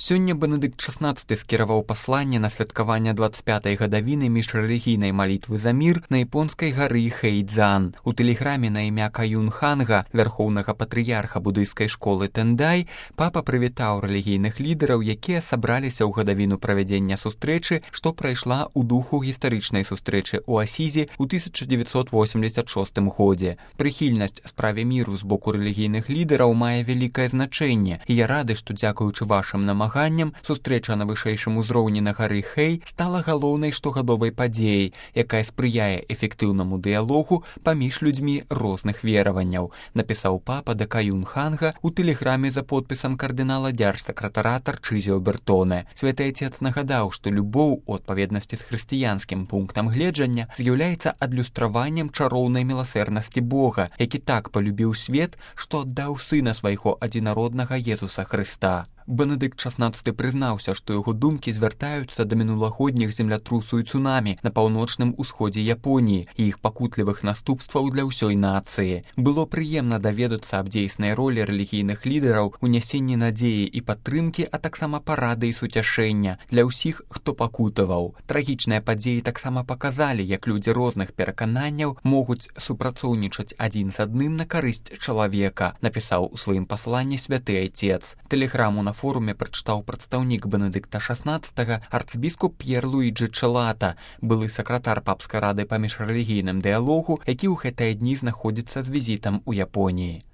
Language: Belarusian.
Сёння Бенедыкт XVI скіраваў пасланне на святкаванне 25-й гадавіны міжрэлігійнай малітвы за мір на японскай гары Хэйдзан. У тэлеграме на імя Каюн Ханга, вярхоўнага патрыярха будыйскай школы Тэндай, папа прывітаў рэлігійных лідараў, якія сабраліся ў гадавіну правядзення сустрэчы, што прайшла ў духу гістарычнай сустрэчы ў Асізе ў 1986 годзе. Прыхільнасць справе міру з боку рэлігійных лідараў мае вялікае значэнне, і я рады, што дзякуючы вашым намаганням сустрэча на вышэйшым узроўні на гары Хэй стала галоўнай штогадовай падзеяй, якая спрыяе эфектыўнаму дыялогу паміж людзьмі розных вераванняў, напісаў папа да Каюн Ханга ў тэлеграме за подпісам кардынала дзяржсакратара Тарчызіо Бертоне. Святы Отец нагадаў, што любоў у адпаведнасці з хрысціянскім пунктам гледжання з'яўляецца адлюстраваннем чароўнай міласэрнасці Бога, які так палюбіў свет, што аддаў сына свайго адзінароднага Езуса Хрыста. Бенедыкт XVI прызнаўся, што яго думкі звяртаюцца да мінулагодніх землятрусу і цунамі на паўночным усходзе Японіі і іх пакутлівых наступстваў для ўсёй нацыі. Было прыемна даведацца аб дзейснай ролі рэлігійных лідараў у нясенні надзеі і падтрымкі, а таксама парады і суцяшэння для ўсіх, хто пакутаваў. Трагічныя падзеі таксама паказалі, як людзі розных перакананняў могуць супрацоўнічаць адзін з адным на карысць чалавека, напісаў у сваім пасланні святы Отец. Тэлеграму на форуме прачытаў прадстаўнік Бенедыкта XVI арцыбіскуп П'ер Луіджы Чэлата, былы сакратар папскай рады па міжрэлігійным дыялогу, які ў гэтыя дні знаходзіцца з візітам у Японіі.